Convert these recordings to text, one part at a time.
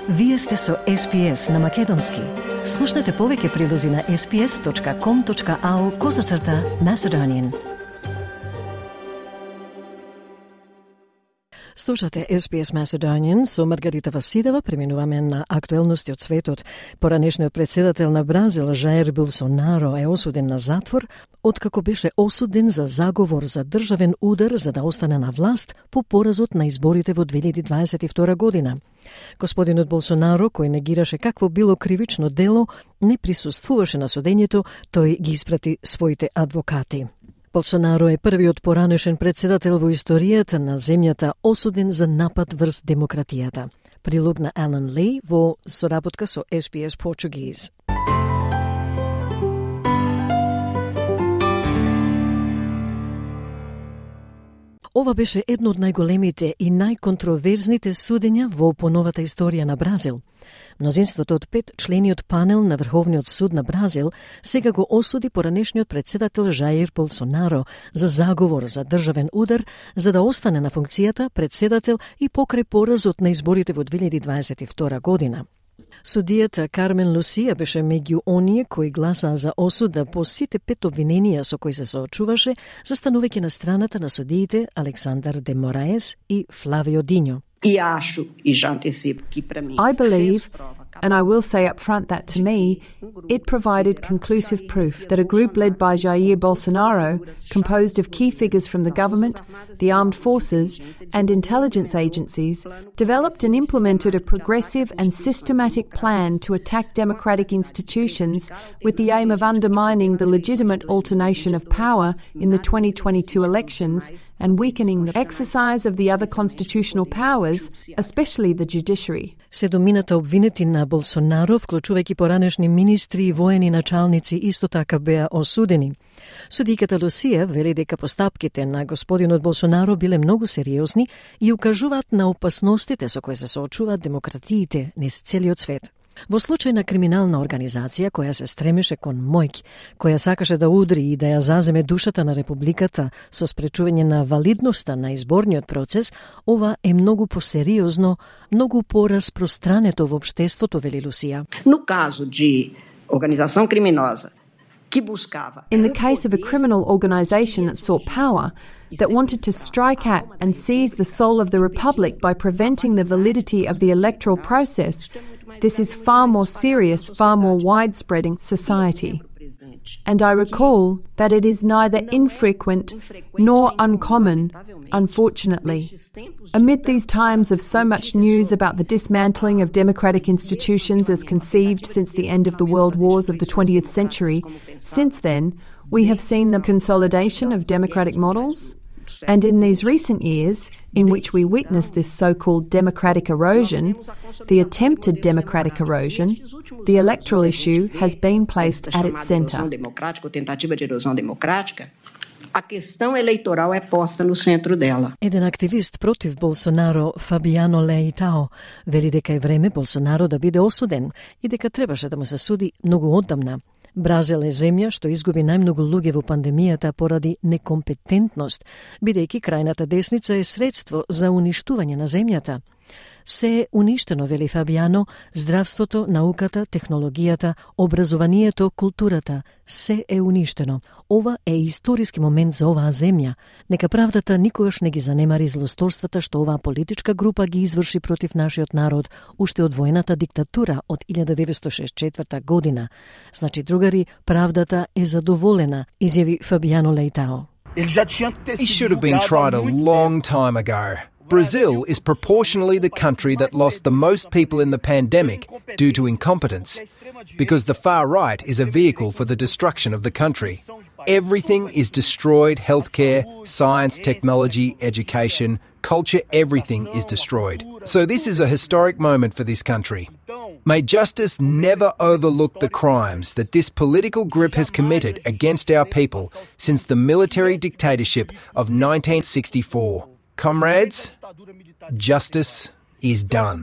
Вие сте со SPS на Македонски. Слушнете повеќе прилози на sps.com.au/Macedonian. Слушате SPS Macedonian со Маргарита Василева. Преминуваме на актуелности од светот. Поранешниот председател на Бразил, Жаир Болсонаро, е осуден на затвор, откако беше осуден за заговор за државен удар за да остане на власт по поразот на изборите во 2022 година. Господинот Болсонаро, кој негираше какво било кривично дело, не присуствуваше на судењето, тој ги испрати своите адвокати. Болсонаро е првиот поранешен председател во историјата на земјата осуден за напад врз демократијата. Прилог на Алан Ли во соработка со SPS Portuguese. Ова беше едно од најголемите и најконтроверзните судења во поновата историја на Бразил. Мнозинството од 5 члениот панел на Врховниот суд на Бразил сега го осуди поранешниот председател Жаир Болсонаро за заговор за државен удар за да остане на функцијата председател и покрај поразот на изборите во 2022 година. Судијата Кармен Лусија беше меѓу оние кои гласаа за осуда по сите 5 обвиненија со кои се соочуваше, застанувајќи на страната на судиите Александар де Мораес и Флавио Диньо. I believe, and I will say up front that to me, it provided conclusive proof that a group led by Jair Bolsonaro, composed of key figures from the government, the armed forces, and intelligence agencies, developed and implemented a progressive and systematic plan to attack democratic institutions with the aim of undermining the legitimate alternation of power in the 2022 elections and weakening the exercise of the other constitutional powers, especially the judiciary. Седумината обвинети на Болсонаро, вклучувајќи поранешни министри и воени началници, исто така беа осудени. Судиката Лусија вели дека постапките на господинот Болсонаро биле многу сериозни и укажуваат на опасностите со кои се соочуваат демократиите низ целиот свет. Во случај на криминална организација која се стремеше кон моќ, која сакаше да удри и да ја заземе душата на републиката со спречување на валидноста на изборниот процес, ова е многу посериозно, многу пораспространето во општеството, вели Лусија. No caso de organização criminosa que buscava. In the case of a criminal organisation that sought power, that wanted to strike at and seize the soul of the republic by preventing the validity of the electoral process, this is far more serious, far more widespread in society. And I recall that it is neither infrequent nor uncommon, unfortunately. Amid these times of so much news about the dismantling of democratic institutions as conceived since the end of the world wars of the 20th century, since then, we have seen the consolidation of democratic models. And in these recent years, in which we witnessed this so-called democratic erosion, the attempted democratic erosion, the electoral issue has been placed at its centre. A questão eleitoral é posta no centro dela. Еден активист против Болсонаро, Фабиано Леитао, вели дека е време Болсонаро да биде осуден и дека требаше да му се суди многу оддамна. Бразил е земја што изгуби најмногу луѓе во пандемијата поради некомпетентност, бидејќи крајната десница е средство за уништување на земјата. Се е уништено, вели Фабиано, здравството, науката, технологијата, образованието, културата. Се е уништено. Ова е историски момент за оваа земја. Нека правдата никогаш не ги занемари злосторствата што оваа политичка група ги изврши против нашиот народ уште од воената диктатура од 1964 година. Значи, другари, правдата е задоволена, изјави Фабиано Леитао. He should have been tried a long time ago. Brazil is proportionally the country that lost the most people in the pandemic due to incompetence, because the far right is a vehicle for the destruction of the country. Everything is destroyed: healthcare, science, technology, education, culture, everything is destroyed. So this is a historic moment for this country. May justice never overlook the crimes that this political group has committed against our people since the military dictatorship of 1964. Comrades, justice is done.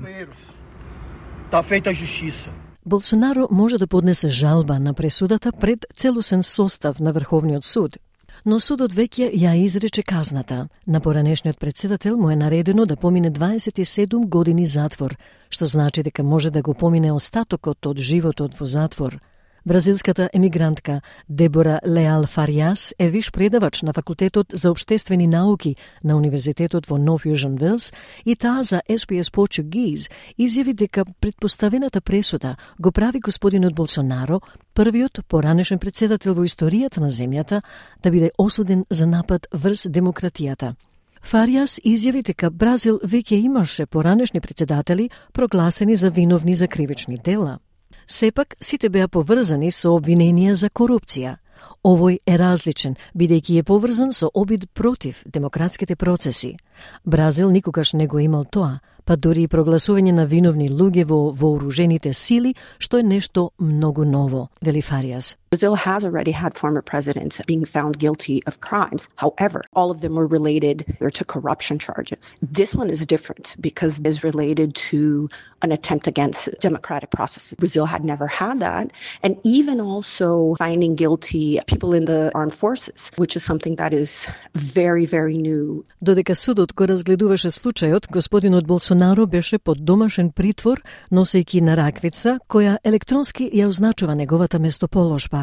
Болсонаро може да поднесе жалба на пресудата пред целосен состав на Врховниот суд. но судот веќе ја изрече казната. На поранешниот председател му е наредено да помине 27 години затвор, што значи дека може да го помине остатокот од животот во затвор. Бразилската емигрантка Дебора Леал Фариас е виш предавач на Факултетот за општествени науки на Универзитетот во Нов Јужен Велс и таа за SPS Portuguese изјави дека претпоставената пресуда го прави господинот Болсонаро првиот поранешен председател во историјата на земјата да биде осуден за напад врз демократијата. Фариас изјави дека Бразил веќе имаше поранешни председатели прогласени за виновни за кривични дела. Сепак, сите беа поврзани со обвиненија за корупција. Овој е различен, бидејќи е поврзан со обид против демократските процеси. Бразил никогаш не го имал тоа, па дури и прогласување на виновни луѓе во вооружените сили, што е нешто многу ново, вели Фариас. Brazil has already had former presidents being found guilty of crimes. However, all of them were related to corruption charges. This one is different because it is related to an attempt against democratic processes. Brazil had never had that. And even also finding guilty people in the armed forces, which is something that is very, very new. Додека судот го разгледуваше случајот, господинот Болсонаро беше под домашен притвор, носејќи на раквица, која електронски ја означува неговата местоположба.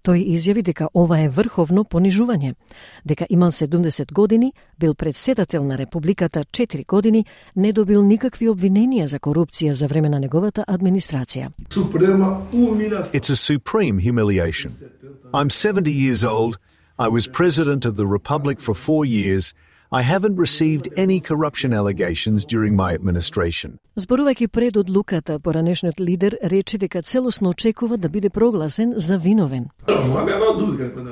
Тој изјави дека ова е врховно понижување, дека имал 70 години, бил председател на Републиката 4 години, не добил никакви обвиненија за корупција за време на неговата администрација. It's a supreme humiliation. I'm 70 years old. I was president of the Republic for 4 years. I haven't received any corruption allegations during my administration. Зборувајќи пред одлуката, поранешниот лидер рече дека целосно очекува да биде прогласен за виновен.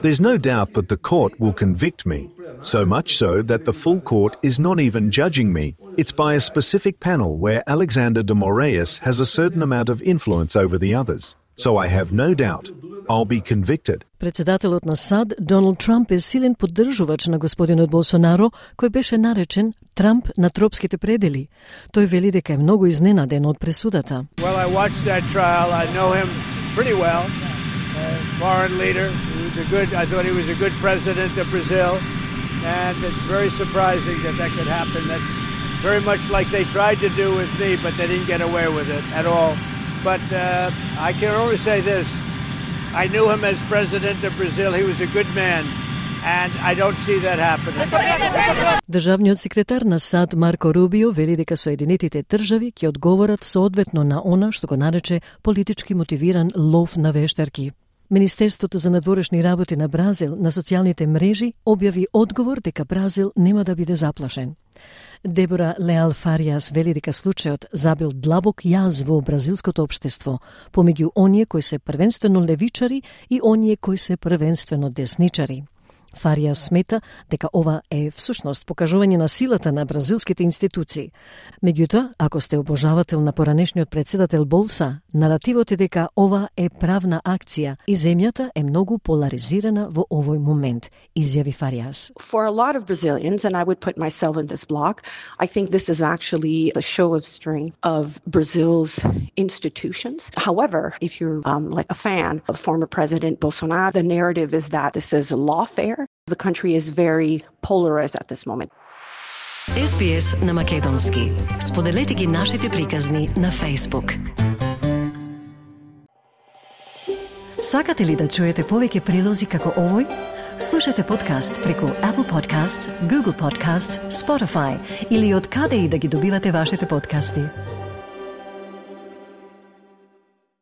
There's no doubt that the court will convict me, so much so that the full court is not even judging me. It's by a specific panel where Alexander de Moraes has a certain amount of influence over the others. So I have no doubt I'll be convicted. Председателот на САД, Доналд Трамп, е силен поддржувач на господинот Болсонаро, кој беше наречен Трамп на тропските предели. Тој вели дека е многу изненаден од пресудата. Well, I watched that trial. I know him pretty well. Foreign leader. I thought he was a good president of Brazil. And it's very surprising that could happen. That's very much like they tried to do with me, but they didn't get away with it at all. But I can only say this. I knew him as president of Brazil. He was a good man. And I don't see that happening. Државниот секретар на САД Марко Рубио вели дека Соединетите држави ќе одговорат соодветно на она што го нарече политички мотивиран лов на вештарки. Министерството за надворешни работи на Бразил на социјалните мрежи објави одговор дека Бразил нема да биде заплашен. Дебора Леал Фариас вели дека случајот забил длабок јаз во бразилското општество, помеѓу оние кои се првенствено левичари и оние кои се првенствено десничари. Фариас смета дека ова е всушност покажување на силата на бразилските институции. Меѓутоа, ако сте обожавател на поранешниот председател Болса, наративот е дека ова е правна акција и земјата е многу поларизирана во овој момент, изјави Фариас. For a lot of Brazilians, and I would put myself in this block, I think this is actually the show of strength of Brazil's institutions. However, if you're like a fan of former President Bolsonaro, the narrative is that this is lawfare. The country is very polarized at this moment. SPS на македонски. Споделете ги нашите приказни на Facebook. Сакате ли да чуете повеќе прилози како овој? Слушате подкаст преку Apple Podcasts, Google Podcasts, Spotify или од каде и да ги добивате вашите подкасти.